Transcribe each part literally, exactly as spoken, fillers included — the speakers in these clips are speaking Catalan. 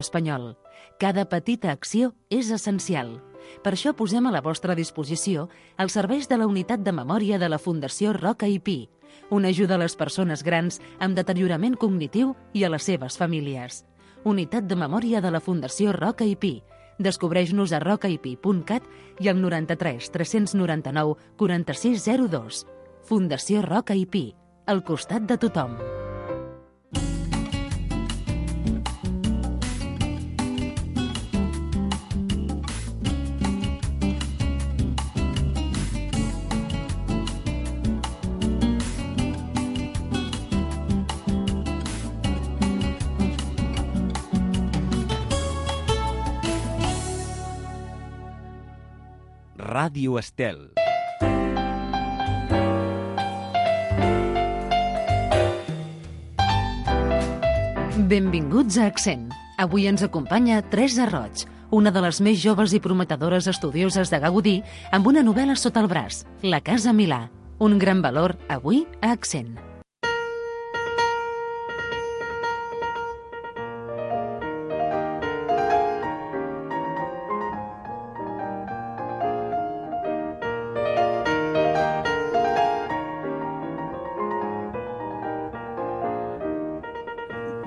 espanyol. Cada petita acció és essencial. Per això posem a la vostra disposició els serveis de la Unitat de Memòria de la Fundació Roca i Pi, una ajuda a les persones grans amb deteriorament cognitiu i a les seves famílies. Unitat de Memòria de la Fundació Roca i Pi. Descobreix-nos a rocaipi punt cat i al noranta-tres tres noranta-nou quaranta-sis zero dos. Fundació Roca i Pi, al costat de tothom. Ràdio Estel. Benvinguts a Accent. Avui ens acompanya Teresa Roig, una de les més joves i prometedores estudioses de Gaudí, amb una novel·la sota el braç, La Casa Milà. Un gran valor avui a Accent.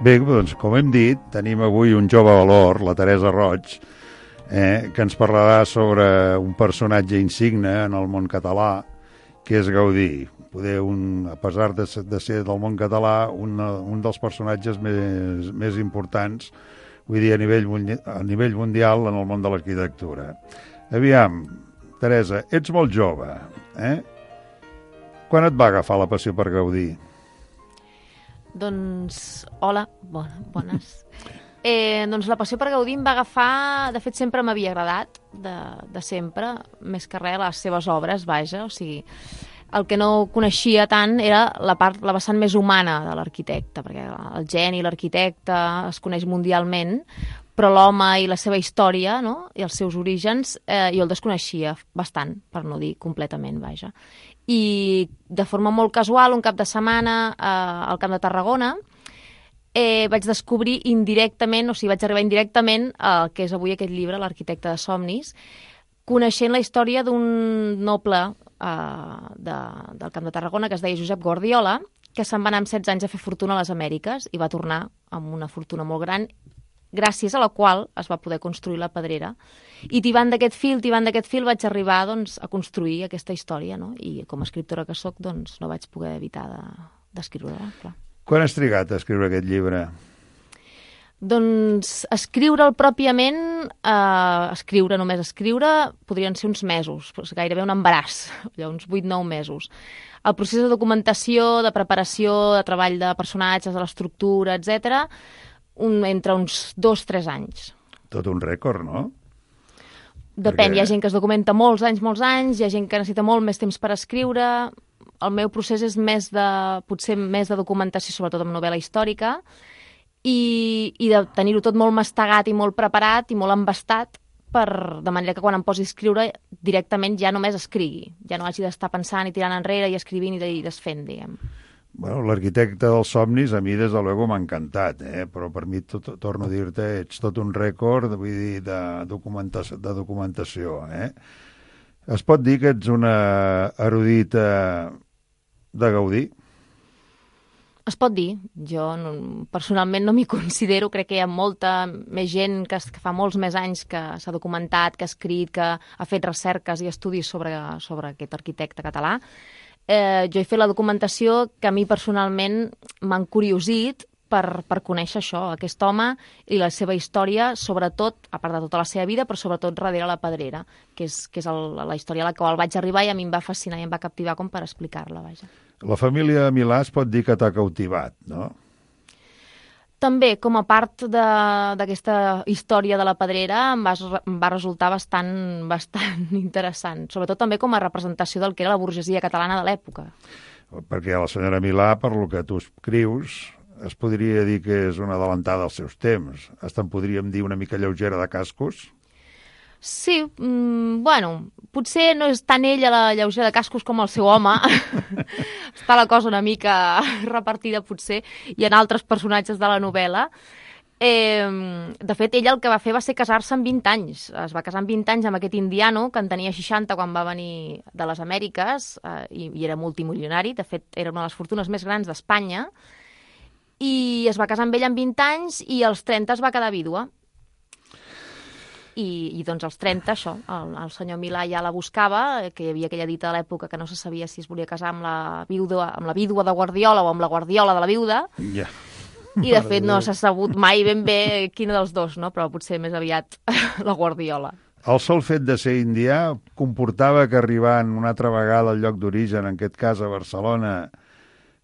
Bé, doncs, com hem dit, tenim avui un jove valor, la Teresa Roig, eh, que ens parlarà sobre un personatge insigne en el món català, que és Gaudí. Poder, un, a pesar de, de ser del món català, un, un dels personatges més, més importants, vull dir, a nivell, a nivell mundial en el món de l'arquitectura. Aviam, Teresa, ets molt jove, eh? Quan et va agafar la passió per Gaudí? Doncs, hola, bona, bones. Eh, doncs la passió per Gaudí em va agafar, de fet sempre m'havia agradat, de, de sempre, més que res les seves obres, vaja, o sigui, el que no coneixia tant era la part, la vessant més humana de l'arquitecte, perquè el geni, l'arquitecte es coneix mundialment, però l'home i la seva història, no?, i els seus orígens, eh, jo el desconeixia bastant, per no dir completament, vaja. I de forma molt casual, un cap de setmana eh, al Camp de Tarragona, eh, vaig descobrir indirectament, o sigui, vaig arribar indirectament al que és avui aquest llibre, L'arquitecte de somnis, coneixent la història d'un noble eh, de, del Camp de Tarragona que es deia Josep Guardiola, que se'n va anar amb setze anys a fer fortuna a les Amèriques i va tornar amb una fortuna molt gran, gràcies a la qual es va poder construir la Pedrera. I tibant d'aquest fil, tibant d'aquest fil, vaig arribar doncs, a construir aquesta història, no? I com a escriptora que sóc, doncs, no vaig poder evitar d'escriure-la, de, clar. Quan has trigat a escriure aquest llibre? Doncs escriure'l pròpiament, eh, escriure, només escriure, podrien ser uns mesos, gairebé un embaràs, allò, uns vuit nou mesos. El procés de documentació, de preparació, de treball de personatges, de l'estructura, etcètera, un, entre uns dos o tres anys. Tot un rècord, no? Depèn, Perquè... hi ha gent que es documenta molts anys, molts anys, hi ha gent que necessita molt més temps per escriure. El meu procés és més de, potser més de documentació, sobretot amb novel·la històrica, i, i de tenir-ho tot molt mastegat i molt preparat i molt embastat, per, de manera que quan em posi a escriure directament ja només escrigui, ja no hagi d'estar pensant i tirant enrere i escrivint i desfent, diguem. Bueno, l'arquitecte dels somnis a mi des de luego m'ha encantat, eh? Però per mi, tot, torno a dir-te, ets tot un rècord, vull dir, de documentació, de documentació, eh? Es pot dir que ets una erudita de Gaudí? Es pot dir. Jo no, personalment no m'hi considero, crec que hi ha molta més gent que, que fa molts més anys que s'ha documentat, que ha escrit, que ha fet recerques i estudis sobre, sobre aquest arquitecte català. Eh, jo he fet la documentació que a mi personalment m'han curiosit per, per conèixer això, aquest home i la seva història, sobretot, a part de tota la seva vida, però sobretot darrere la Pedrera, que és, que és el, la història a la qual vaig arribar i a mi em va fascinar i em va captivar com per explicar-la, vaja. La família Milà es pot dir que t'ha cautivat, no? També, com a part d'aquesta història de la Pedrera, em va, em va resultar bastant, bastant interessant, sobretot també com a representació del que era la burgesia catalana de l'època. Perquè la senyora Milà, per lo que tu escrius, es podria dir que és una adelantada als seus temps. Hasta en podríem dir una mica lleugera de cascos. Sí, mm, bueno, potser no és tant ella la lleugera de cascos com el seu home. Està la cosa una mica repartida, potser, i en altres personatges de la novel·la. Eh, de fet, ell el que va fer va ser casar-se amb vint anys. Es va casar amb vint anys amb aquest indiano, que en tenia seixanta quan va venir de les Amèriques, eh, i, i era multimilionari. De fet, era una de les fortunes més grans d'Espanya. I es va casar amb ell amb vint anys i als trenta es va quedar vídua. I, i doncs als trenta, això, el, el senyor Milà ja la buscava, que hi havia aquella dita de l'època que no se sabia si es volia casar amb la vídua, amb la vídua de Guardiola o amb la Guardiola de la viuda. Ja. I, de fet, no s'ha sabut mai ben bé quina dels dos, no? Però potser més aviat la Guardiola. El sol fet de ser indià comportava que arribant una altra vegada al lloc d'origen, en aquest cas a Barcelona,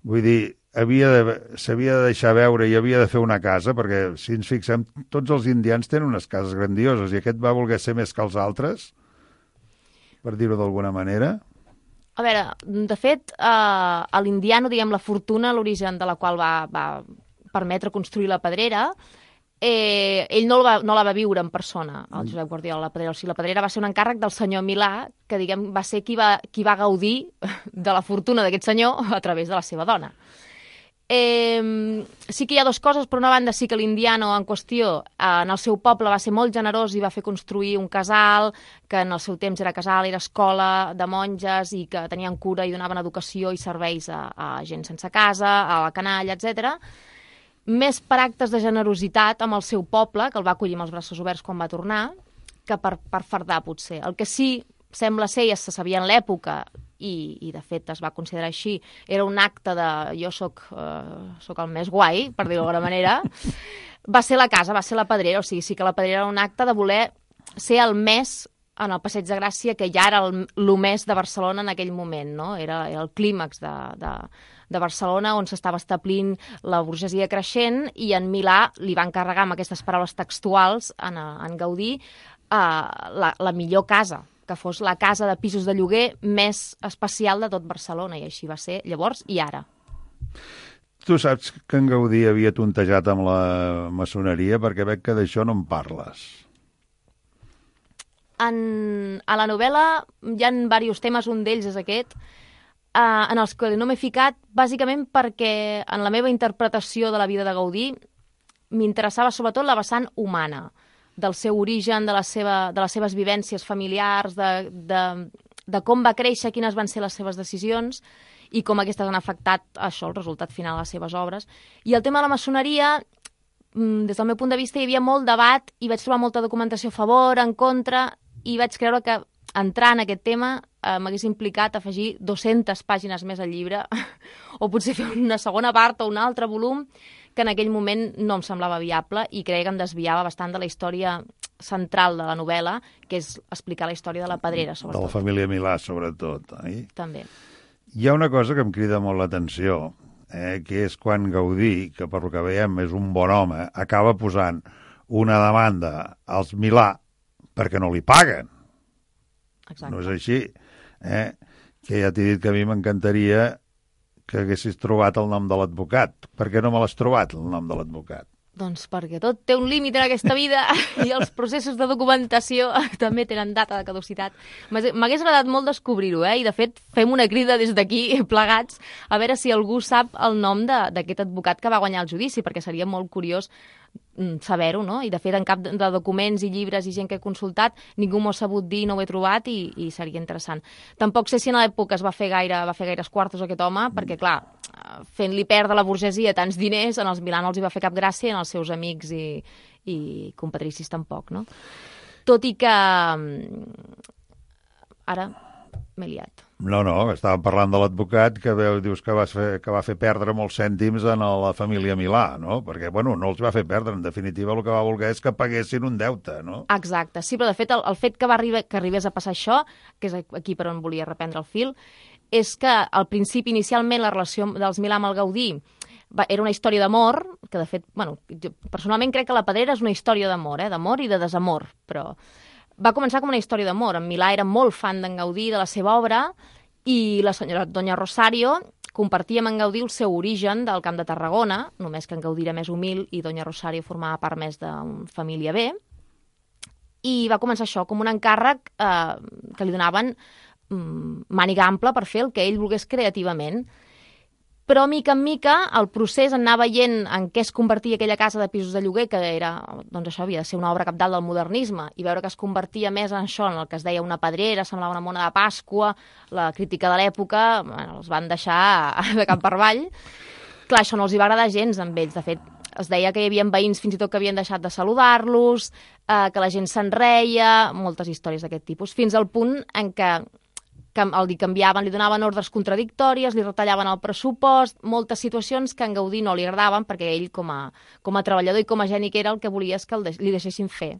vull dir, havia de, s'havia de deixar veure i havia de fer una casa, perquè si ens fixem, tots els indians tenen unes cases grandioses i aquest va voler ser més que els altres, per dir-ho d'alguna manera. A veure, de fet, eh, a l'indiano, diguem, la fortuna, l'origen de la qual va, va permetre construir la Pedrera, eh, ell no la, va, no la va viure en persona, el Josep Guardiola, la Pedrera. O sigui, la Pedrera va ser un encàrrec del senyor Milà, que, diguem, va ser qui va, qui va gaudir de la fortuna d'aquest senyor a través de la seva dona. Eh, sí que hi ha dues coses. Per una banda, sí que l'indiano en qüestió eh, en el seu poble va ser molt generós i va fer construir un casal, que en el seu temps era casal, era escola de monges i que tenien cura i donaven educació i serveis a, a gent sense casa, a la canalla, etcètera. Més per actes de generositat amb el seu poble, que el va acollir amb els braços oberts quan va tornar, que per, per fardar, potser. El que sí sembla ser, ja se sabia en l'època, i, i de fet es va considerar així, era un acte de jo soc, eh, soc el més guai, per dir-ho d'alguna manera, va ser la casa, va ser la Pedrera. O sigui, sí que la Pedrera era un acte de voler ser el més en el Passeig de Gràcia, que ja era el, el més de Barcelona en aquell moment, no? Era, era el clímax de, de, de Barcelona, on s'estava establint la burgesia creixent, i en Milà li va encarregar, amb aquestes paraules textuals, en, en Gaudí, eh, la, la millor casa, que fos la casa de pisos de lloguer més especial de tot Barcelona, i així va ser llavors i ara. Tu saps que en Gaudí havia tontejat amb la maçoneria, perquè veig que d'això no en parles. En, a la novel·la hi ha diversos temes, un d'ells és aquest, eh, en els que no m'he ficat, bàsicament perquè en la meva interpretació de la vida de Gaudí m'interessava sobretot la vessant humana, del seu origen, de, la seva, de les seves vivències familiars, de, de, de com va créixer, quines van ser les seves decisions i com aquestes han afectat això, el resultat final de les seves obres. I el tema de la maçoneria, des del meu punt de vista, hi havia molt debat i vaig trobar molta documentació a favor, en contra, i vaig creure que entrar en aquest tema eh, m'hagués implicat afegir dues-centes pàgines més al llibre o potser fer una segona part o un altre volum, que en aquell moment no em semblava viable i creia que em desviava bastant de la història central de la novel·la, que és explicar la història de la Pedrera, sobretot. De la família Milà, sobretot. Eh? També. Hi ha una cosa que em crida molt l'atenció, eh, que és quan Gaudí, que per lo que veiem és un bon home, acaba posant una demanda als Milà perquè no li paguen. Exacte. No és així. Eh? Que ja t'he dit que a mi m'encantaria que haguessis trobat el nom de l'advocat. Per què no me l'has trobat, el nom de l'advocat? Doncs perquè tot té un límit en aquesta vida i els processos de documentació també tenen data de caducitat. M'hagués agradat molt descobrir-ho, eh? I de fet fem una crida des d'aquí plegats a veure si algú sap el nom d'aquest advocat que va guanyar el judici, perquè seria molt curiós saber-ho, no? I de fet en cap de documents i llibres i gent que he consultat ningú m'ho ha sabut dir, no ho he trobat i, i seria interessant. Tampoc sé si en l'època es va fer gaire, va fer gaires quartos aquest home, perquè clar, fent-li perdre la burgesia tants diners, en els Milà no els hi va fer cap gràcia i en els seus amics i, i compatricis tampoc, no? Tot i que ara m'he liat. No, no, estàvem parlant de l'advocat que veu, dius que va, fer, que va fer perdre molts cèntims a la família Milà, no? Perquè, bueno, no els va fer perdre, en definitiva el que va voler és que paguessin un deute, no? Exacte, sí, però de fet el, el fet que va arribar, que arribés a passar això, que és aquí per on volia reprendre el fil, és que al principi, inicialment, la relació dels Milà amb el Gaudí va, era una història d'amor, que de fet, bueno, jo personalment crec que la Pedrera és una història d'amor, eh? D'amor i de desamor, però va començar com una història d'amor. En Milà era molt fan d'en Gaudí, de la seva obra, i la senyora Doña Rosario compartia amb en Gaudí el seu origen del Camp de Tarragona, només que en Gaudí era més humil i Doña Rosario formava part més de família bé, i va començar això com un encàrrec eh, que li donaven mm, màniga ampla per fer el que ell volgués creativament. Però, mica en mica, el procés anar veient en què es convertia aquella casa de pisos de lloguer, que era, doncs això havia de ser una obra cabdal del modernisme, i veure que es convertia més en això, en el que es deia una pedrera, semblava una mona de Pasqua, la crítica de l'època, bueno, els van deixar de cap per avall. Clar, això no els hi va agradar gens amb ells. De fet, es deia que hi havia veïns fins i tot que havien deixat de saludar-los, eh, que la gent se'n reia, moltes històries d'aquest tipus, fins al punt en què el canviaven, li donaven ordres contradictòries, li retallaven el pressupost, moltes situacions que a en Gaudí no li agradaven perquè ell, com a, com a treballador i com a geni que era, el que volia és que el de, li deixessin fer.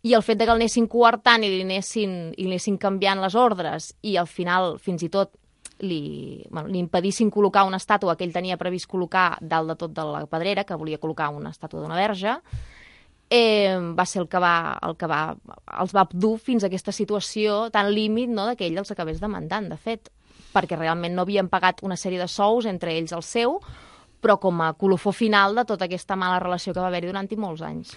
I el fet de que el anessin coartant i li anessin, i li anessin canviant les ordres i al final, fins i tot, li, bueno, li impedissin col·locar una estàtua que ell tenia previst col·locar dalt de tot de la pedrera, que volia col·locar una estàtua d'una verge, Eh, va ser el que, va, el que va, els va dur fins a aquesta situació tan límit, no, que ell els acabés demandant, de fet, perquè realment no havien pagat una sèrie de sous, entre ells el seu, però com a colofó final de tota aquesta mala relació que va haver-hi durant molts anys.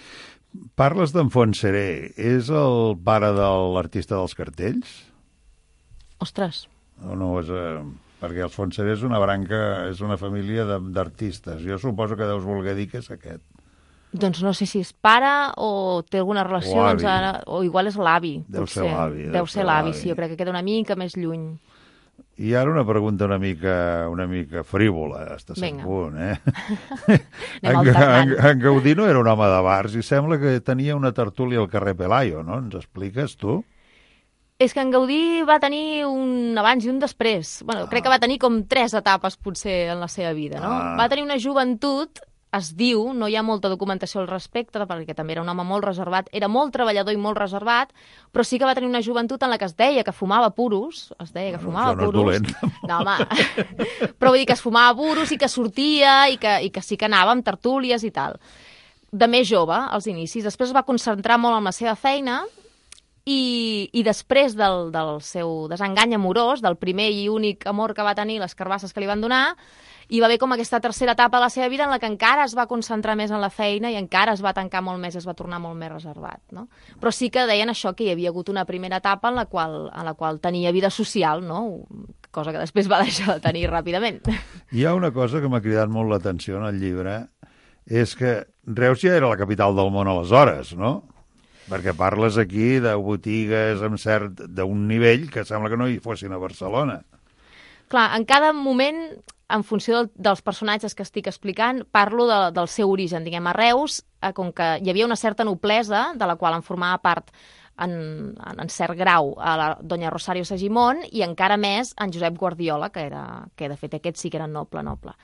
Parles d'en Fontserè. És el pare de l'artista dels cartells? Ostres. O no és... Eh, perquè els Fontserè és una branca, és una família d'artistes. Jo suposo que deus voler dir que és aquest. Doncs no sé si és pare o té alguna relació, o, doncs ara, o igual és l'avi. Deu ser l'avi. Deu ser l'avi, sí, jo crec que queda una mica més lluny. I ara una pregunta una mica, una mica frívola, hasta cert punt, eh? en, en, en Gaudí no era un home de bars i sembla que tenia una tertúlia al carrer Pelayo, no? Ens expliques, tu? És que en Gaudí va tenir un abans i un després. Bueno, ah. crec que va tenir com tres etapes, potser, en la seva vida, no? Ah. Va tenir una joventut... Es diu, no hi ha molta documentació al respecte, perquè també era un home molt reservat, era molt treballador i molt reservat, però sí que va tenir una joventut en la que es deia que fumava puros, es deia que fumava no, puros. No, no, home, però vull dir que es fumava puros i que sortia i que, i que sí que anava amb tertúlies i tal. De més jove, als inicis. Després es va concentrar molt en la seva feina i, i després del, del seu desengany amorós, del primer i únic amor que va tenir, les carbasses que li van donar, hi va haver com aquesta tercera etapa de la seva vida en la que encara es va concentrar més en la feina i encara es va tancar molt més, es va tornar molt més reservat, no? Però sí que deien això, que hi havia hagut una primera etapa en la qual, en la qual tenia vida social, no? Cosa que després va deixar de tenir ràpidament. Hi ha una cosa que m'ha cridat molt l'atenció en el llibre, és que Reus ja era la capital del món aleshores, no? Perquè parles aquí de botigues amb cert d'un nivell que sembla que no hi fossin a Barcelona. Clar, en cada moment, en funció del, dels personatges que estic explicant, parlo de, del seu origen. Diguem, a Reus, eh, com que hi havia una certa noblesa, de la qual en formava part en, en, en cert grau a la doña Rosario Segimon, i encara més en Josep Guardiola, que, era, que de fet aquest sí que era noble, noble.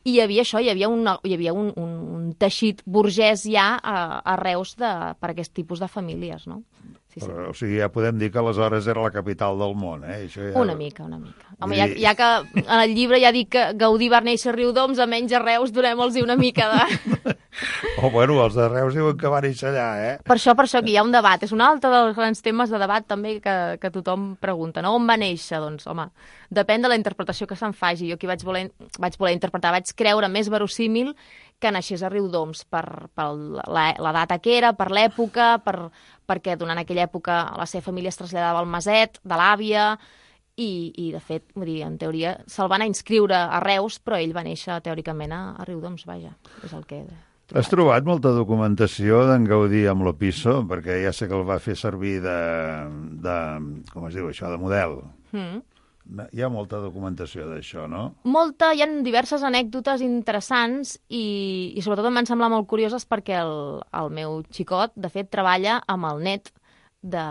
I hi havia això, hi havia un, hi havia un, un, un teixit burgès ja a, a Reus de, per aquest tipus de famílies, no? Sí, sí. Però, o sigui, ja podem dir que aleshores era la capital del món, eh? Això ja... Una mica, una mica. Home, ja, ja que en el llibre ja dic que Gaudí va néixer a Riudoms, almenys a Reus donem-los una mica de... Oh, bueno, els de Reus diuen que va néixer allà, eh? Per això, per això, que hi ha un debat. És un altre dels grans temes de debat també que, que tothom pregunta, no? On va néixer? Doncs, home, depèn de la interpretació que se'n faci. Jo aquí vaig voler, vaig voler interpretar, vaig creure més verossímil que naixés a Riudoms per, per la, la data que era, per l'època, per, perquè durant aquella època la seva família es traslladava al Maset, de l'àvia, i, i de fet, vull dir, en teoria, se'l van a inscriure a Reus, però ell va néixer teòricament a, a Riudoms, vaja, és el que... Has trobat molta documentació d'en Gaudí amb l'Opisso? Perquè ja sé que el va fer servir de, de com es diu això, de model. Mm. Hi ha molta documentació d'això, no? Molta, hi ha diverses anècdotes interessants i, i sobretot em van semblar molt curioses perquè el, el meu xicot, de fet, treballa amb el net de,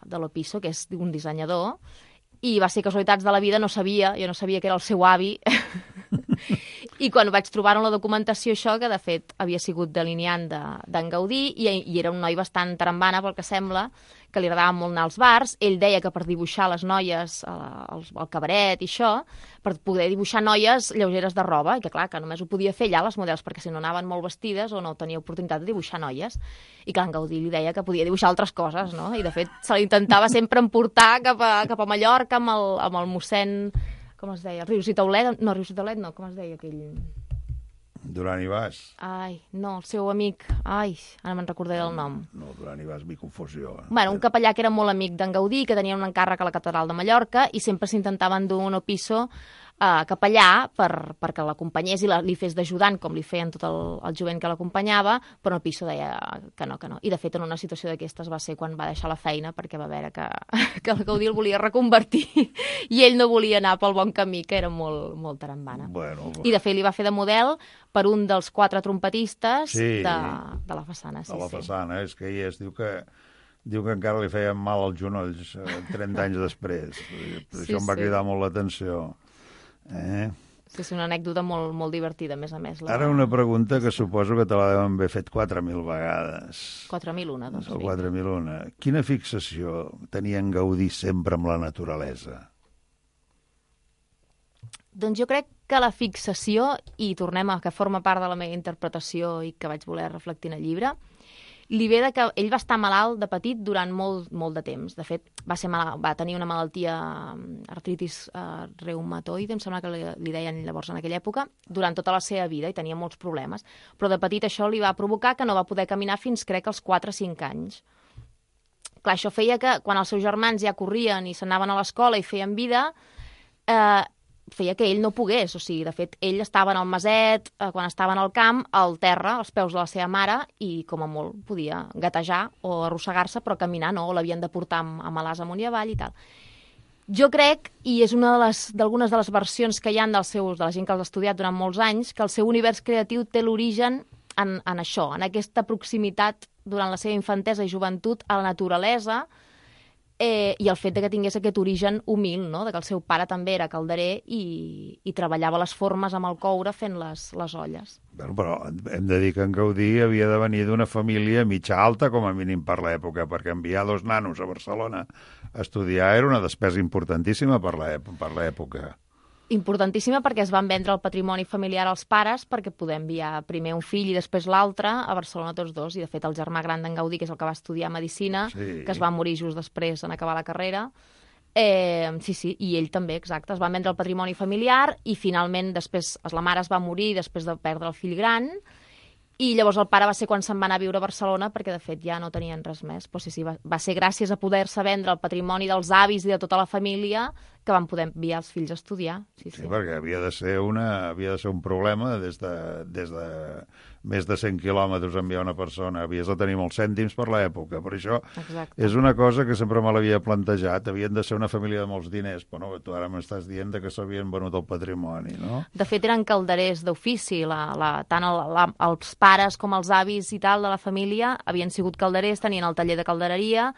de l'Opisso, que és un dissenyador, i va ser casualitats de la vida, no sabia, jo no sabia que era el seu avi, i quan vaig trobar en la documentació això, que de fet havia sigut delineant d'en de, Gaudí, i, i era un noi bastant tarambana, pel que sembla, que li agradava molt anar als bars. Ell deia que per dibuixar les noies, el, el cabaret i això, per poder dibuixar noies lleugeres de roba, i que clar, que només ho podia fer allà les models, perquè si no anaven molt vestides o no tenia oportunitat de dibuixar noies. I clar, en Gaudí li deia que podia dibuixar altres coses, no? I de fet se l'intentava sempre emportar cap a, cap a Mallorca amb el, amb el mossèn... Com es deia? Rius i Taulet? No, Rius i Taulet no, com es deia aquell... Duran i Bas. Ai, no, el seu amic... Ai, ara me'n recordaré el nom. No, Duran i Bas, mi confusió. Eh? Bueno, un capellà que era molt amic d'en Gaudí, que tenia un encàrrec a la catedral de Mallorca, i sempre s'intentava endur un Opisso Uh, cap allà per, perquè l'acompanyés i la, li fes d'ajudant, com li feien tot el, el jovent que l'acompanyava, però el Piso deia que no, que no. I, de fet, en una situació d'aquestes va ser quan va deixar la feina, perquè va veure que, que el Gaudí el volia reconvertir i ell no volia anar pel bon camí, que era molt, molt tarambana. Bueno, I, de fet, li va fer de model per un dels quatre trompetistes sí, de, de la façana. Sí, de la sí. façana, és que hi és, diu que diu que encara li feien mal als genolls trenta anys després. Per Sí, això em va sí. cridar molt l'atenció. Eh? Sí, sí, una anècdota molt, molt divertida, a més a més. La... Ara una pregunta que suposo que te la deuen haver fet quatre mil vegades. quatre mil una, doncs. O Sí. quatre mil una. Quina fixació tenia en Gaudí sempre amb la naturalesa? Doncs jo crec que la fixació, i tornem a que forma part de la meva interpretació i que vaig voler reflectir en el llibre, li ve de que ell va estar malalt de petit durant molt, molt de temps. De fet, va, ser malalt, va tenir una malaltia, artritis uh, reumatoide, em sembla que li, li deien llavors en aquella època, durant tota la seva vida, i tenia molts problemes. Però de petit això li va provocar que no va poder caminar fins, crec, als quatre o cinc anys. Clar, això feia que, quan els seus germans ja corrien i s'anaven a l'escola i feien vida, eh, feia que ell no pogués, o sigui, de fet, ell estava en el maset, eh, quan estava en el camp, al terra, als peus de la seva mare, i com a molt podia gatejar o arrossegar-se, però caminar no, o l'havien de portar amb, amb alàs amunt i avall i tal. Jo crec, i és una de les, d'algunes de les versions que hi ha dels seus, de la gent que els ha estudiat durant molts anys, que el seu univers creatiu té l'origen en, en això, en aquesta proximitat durant la seva infantesa i joventut a la naturalesa, Eh, i el fet de que tingués aquest origen humil, no? De que el seu pare també era calderer i, i treballava les formes amb el coure fent les, les olles. Bueno, però hem de dir que en Gaudí havia de venir d'una família mitja alta, com a mínim per l'època, perquè enviar dos nanos a Barcelona a estudiar era una despesa importantíssima per l'època. Importantíssima perquè es van vendre el patrimoni familiar als pares perquè poder enviar primer un fill i després l'altre a Barcelona tots dos. I, de fet, el germà gran d'en Gaudí, que és el que va estudiar Medicina, sí. que es va morir just després en acabar la carrera, eh, sí, sí, i ell també, exacte. Es van vendre el patrimoni familiar i, finalment, després la mare es va morir després de perdre el fill gran, i llavors el pare va ser quan se'n va anar a viure a Barcelona perquè, de fet, ja no tenien res més. Però sí, sí, va, va ser gràcies a poder-se vendre el patrimoni dels avis i de tota la família que van poder enviar els fills a estudiar. Sí, sí. Sí, perquè havia de ser, una, havia de ser un problema des de, des de més de cent quilòmetres enviar una persona. Havies de tenir molts cèntims per l'època. Per això Exacte. És una cosa que sempre me l'havia plantejat. Havien de ser una família de molts diners, però no, tu ara m'estàs dient que s'havien venut el patrimoni, no? De fet, eren calderers d'ofici. La, la, tant el, la, els pares com els avis i tal de la família havien sigut calderers, tenien el taller de caldereria,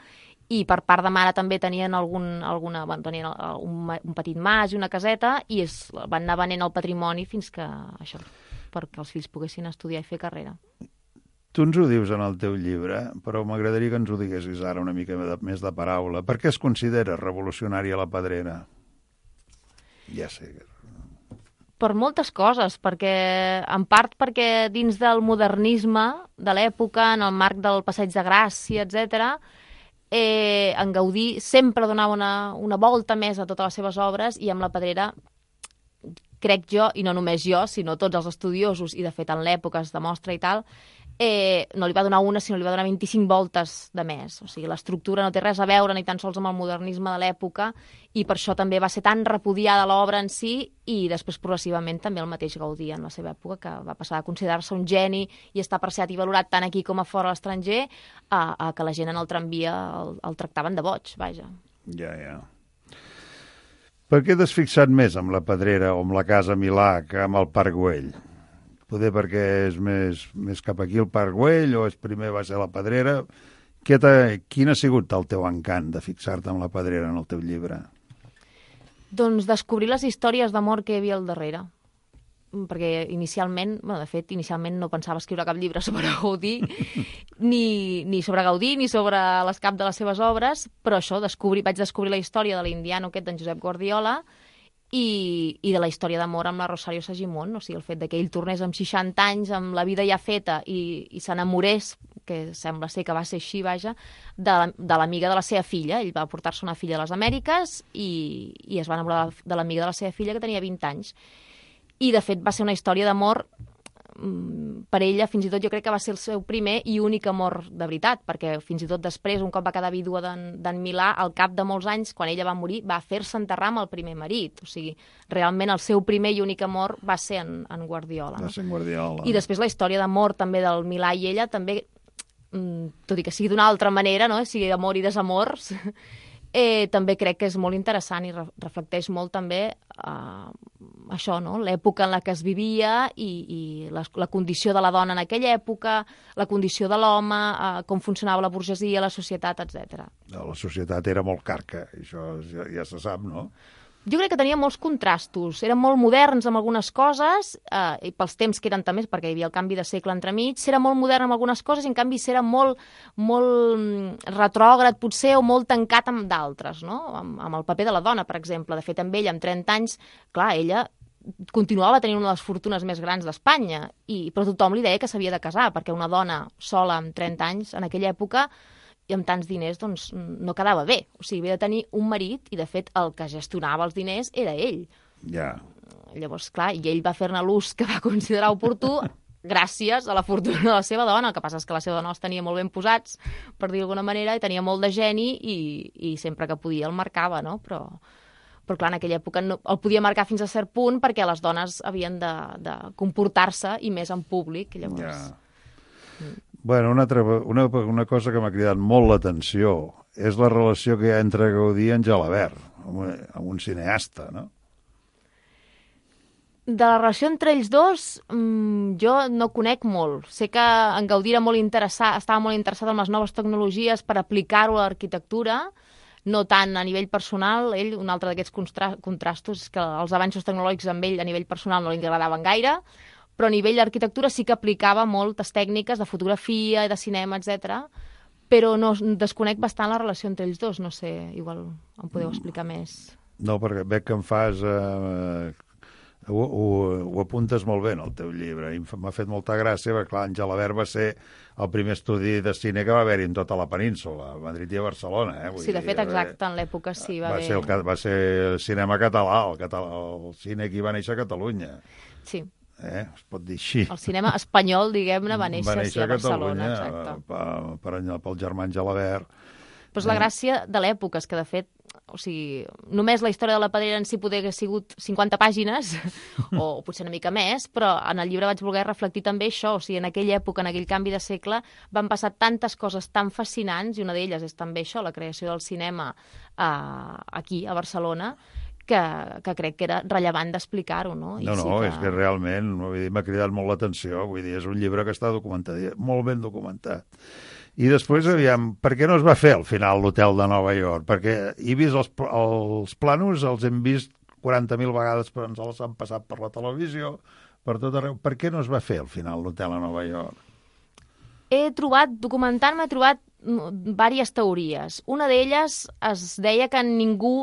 i per part de mare també tenien algun, alguna, bueno, tenien un, un petit mas i una caseta, i es, van anar venent el patrimoni fins que això, perquè els fills poguessin estudiar i fer carrera. Tu ens ho dius en el teu llibre, però m'agradaria que ens ho diguessis ara una mica de, més de paraula. Per què es considera revolucionària la Pedrera? Ja sé. Per moltes coses, perquè en part perquè dins del modernisme de l'època, en el marc del Passeig de Gràcia, etcètera, eh, en Gaudí sempre donava una, una volta més a totes les seves obres, i amb la Pedrera, crec jo, i no només jo, sinó tots els estudiosos, i de fet en l'època es demostra i tal, eh, no li va donar una, sinó li va donar vint-i-cinc voltes de més. O sigui, l'estructura no té res a veure ni tan sols amb el modernisme de l'època, i per això també va ser tan repudiada l'obra en si, i després progressivament també el mateix Gaudí en la seva època, que va passar a considerar-se un geni i està apreciat i valorat tant aquí com a fora a l'estranger, a, a que la gent en el tramvia el, el tractaven de boig, vaja. Ja, ja. Per què t'has fixat més amb la Pedrera o amb la Casa Milà que amb el Parc Güell? Poder perquè és més, més cap aquí el Parc Güell, o és primer va ser la Pedrera? Quin ha sigut el teu encant de fixar-te amb la Pedrera en el teu llibre? Doncs descobrir les històries d'amor que hi havia al darrere. Perquè inicialment, bueno, de fet, inicialment no pensava escriure cap llibre sobre Gaudí, ni, ni sobre Gaudí, ni sobre l'escap de les seves obres, però això, descobrir, vaig descobrir la història de l'indiano aquest d'en Josep Guardiola, i, i de la història d'amor amb la Rosario Segimon, o sigui, el fet de que ell tornés amb seixanta anys, amb la vida ja feta, i, i s'enamorés, que sembla ser que va ser així, vaja, de, de l'amiga de la seva filla. Ell va portar-se una filla a les Amèriques i, i es va enamorar de l'amiga de la seva filla, que tenia vint anys. I, de fet, va ser una història d'amor per ella, fins i tot jo crec que va ser el seu primer i únic amor de veritat, perquè fins i tot després, un cop va quedar vídua d'en Milà, al cap de molts anys, quan ella va morir, va fer-se enterrar amb el primer marit. O sigui, realment el seu primer i únic amor va ser en, en Guardiola. No? Va ser en Guardiola. I després la història d'amor també del Milà i ella, també, tot i que sigui d'una altra manera, no? sigui d'amor i desamors, eh, també crec que és molt interessant i re reflecteix molt també eh, això, no? l'època en la que es vivia i, i la, la condició de la dona en aquella època, la condició de l'home, eh, com funcionava la burgesia, la societat, etcètera. La societat era molt carca, això ja, ja se sap, no? Jo crec que tenia molts contrastos. Eren molt moderns amb algunes coses, eh, i pels temps que eren també, perquè hi havia el canvi de segle entremig, era molt modern amb algunes coses i en canvi era molt, molt retrògrad, potser, o molt tancat amb d'altres, no? Amb, amb el paper de la dona, per exemple. De fet, amb ella, amb trenta anys, clar, ella continuava tenint una de les fortunes més grans d'Espanya, i però tothom li deia que s'havia de casar, perquè una dona sola amb trenta anys, en aquella època, i amb tants diners, doncs, no quedava bé. O sigui, havia de tenir un marit, i de fet el que gestionava els diners era ell. Ja. Llavors, clar, i ell va fer-ne l'ús que va considerar oportú gràcies a la fortuna de la seva dona. El que passa és que la seva dona els tenia molt ben posats, per dir d'alguna manera, i tenia molt de geni, i, i sempre que podia el marcava, no? Però, però clar, en aquella època no, el podia marcar fins a cert punt perquè les dones havien de, de comportar-se, i més en públic. Llavors... Ja. Bueno, una, altra, una, una cosa que m'ha cridat molt l'atenció és la relació que hi ha entre Gaudí i en Gelabert, amb un, amb un cineasta, no? De la relació entre ells dos, mmm, jo no conec molt. Sé que en Gaudí era molt interessat, estava molt interessat en les noves tecnologies per aplicar-ho a l'arquitectura, no tant a nivell personal. Ell, un altre d'aquests contra contrastos, és que els avanços tecnològics amb ell a nivell personal no li agradaven gaire, però a nivell d'arquitectura sí que aplicava moltes tècniques de fotografia i de cinema, etcètera. Però no, desconec bastant la relació entre ells dos. No sé, igual em podeu explicar més. No, perquè veig que em fas... Eh, ho, ho, ho apuntes molt bé en el teu llibre, i m'ha fet molta gràcia, perquè clar, en Gelabert va ser el primer estudi de cine que va haver-hi en tota la península, a Madrid i a Barcelona. Eh? Vull sí, de fet, dir, exacte, en l'època sí va, va haver... Ser el, va ser el cinema català, el, català, el cine que va néixer a Catalunya. Sí. Eh? Es pot dir així. El cinema espanyol, diguem-ne, va néixer, va néixer sí, a Barcelona. Catalunya, per, per, pel germà Gelabert. Però és la gràcia de l'època, és que, de fet, o sigui, només la història de la Pedrera en si poder haver sigut cinquanta pàgines, o potser una mica més, però en el llibre vaig voler reflectir també això. O sigui, en aquella època, en aquell canvi de segle, van passar tantes coses tan fascinants, i una d'elles és també això, la creació del cinema eh, aquí, a Barcelona, que, que crec que era rellevant d'explicar-ho, no? I no, no, sí que... és que realment m'ha cridat molt l'atenció, vull dir, és un llibre que està documentat, molt ben documentat. I després, aviam, per què no es va fer al final l'hotel de Nova York? Perquè he vist els, els plànols, els hem vist quaranta mil vegades, però ens els han passat per la televisió, per tot arreu. Per què no es va fer al final l'hotel a Nova York? He trobat, documentant-me, he trobat diverses teories. Una d'elles es deia que ningú...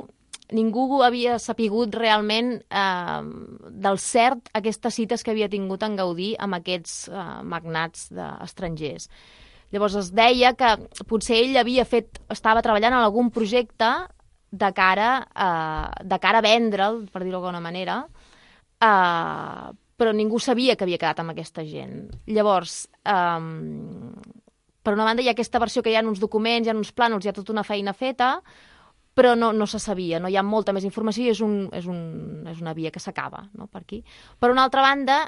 Ningú havia sapigut realment eh, del cert aquestes cites que havia tingut en Gaudí amb aquests eh, magnats estrangers. Llavors es deia que potser ell havia fet, estava treballant en algun projecte de cara, eh, de cara a vendre'l, per dir-ho d'alguna manera, eh, però ningú sabia que havia quedat amb aquesta gent. Llavors, eh, per una banda hi ha aquesta versió que hi ha uns documents, hi ha uns plànols, hi ha tota una feina feta, però no, no se sabia, no hi ha molta més informació i és, un, és, un, és una via que s'acaba, no, per aquí. Per una altra banda,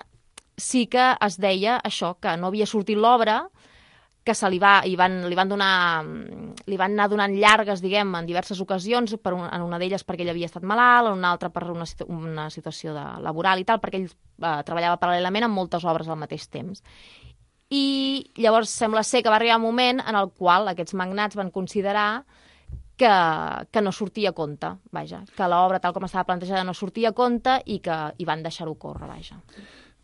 sí que es deia això, que no havia sortit l'obra, que se li, va, i van, li, van donar, li van anar donant llargues, diguem, en diverses ocasions, per un, en una d'elles perquè ell havia estat malalt, en una altra per una, una situació de, laboral i tal, perquè ell eh, treballava paral·lelament en moltes obres al mateix temps. I llavors sembla ser que va arribar un moment en el qual aquests magnats van considerar que, que no sortia a compte, vaja, que l'obra tal com estava plantejada no sortia a compte i que hi van deixar-ho córrer, vaja.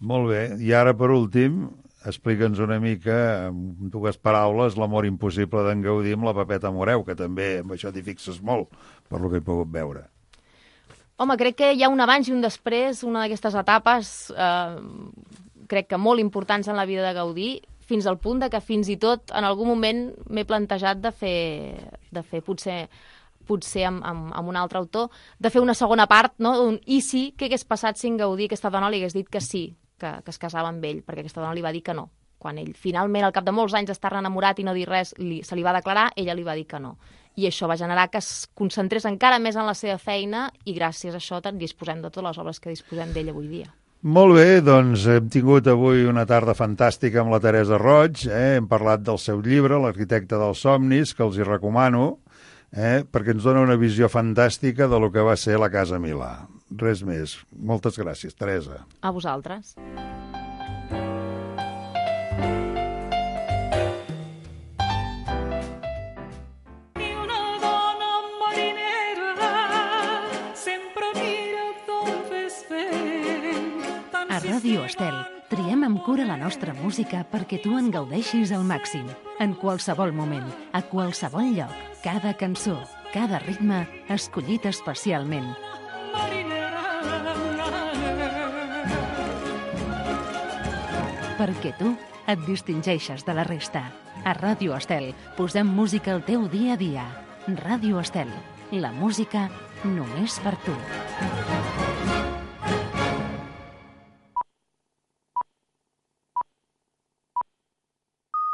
Molt bé, i ara per últim, explica'ns una mica, amb dues paraules, l'amor impossible d'en Gaudí amb la Pepeta Moreu, que també amb això t'hi fixes molt, per lo que he pogut veure. Home, crec que hi ha un abans i un després, una d'aquestes etapes, eh, crec que molt importants en la vida de Gaudí, fins al punt de que fins i tot en algun moment m'he plantejat de fer, de fer potser, potser amb, amb, amb un altre autor, de fer una segona part, no? Un i si, què hagués passat si en Gaudí aquesta dona li hagués dit que sí, que, que es casava amb ell, perquè aquesta dona li va dir que no. Quan ell finalment, al cap de molts anys d'estar enamorat i no dir res, li, se li va declarar, ella li va dir que no. I això va generar que es concentrés encara més en la seva feina i gràcies a això disposem de totes les obres que disposem d'ell avui dia. Molt bé, doncs hem tingut avui una tarda fantàstica amb la Teresa Roig, eh? Hem parlat del seu llibre, L'arquitecte dels somnis, que els hi recomano, eh? perquè ens dona una visió fantàstica de lo que va ser la Casa Milà. Res més. Moltes gràcies, Teresa. A vosaltres. A Ràdio Estel triem amb cura la nostra música perquè tu en gaudeixis al màxim. En qualsevol moment, a qualsevol lloc, cada cançó, cada ritme, escollit especialment. Perquè tu et distingeixes de la resta. A Ràdio Estel posem música al teu dia a dia. Ràdio Estel, la música només per tu.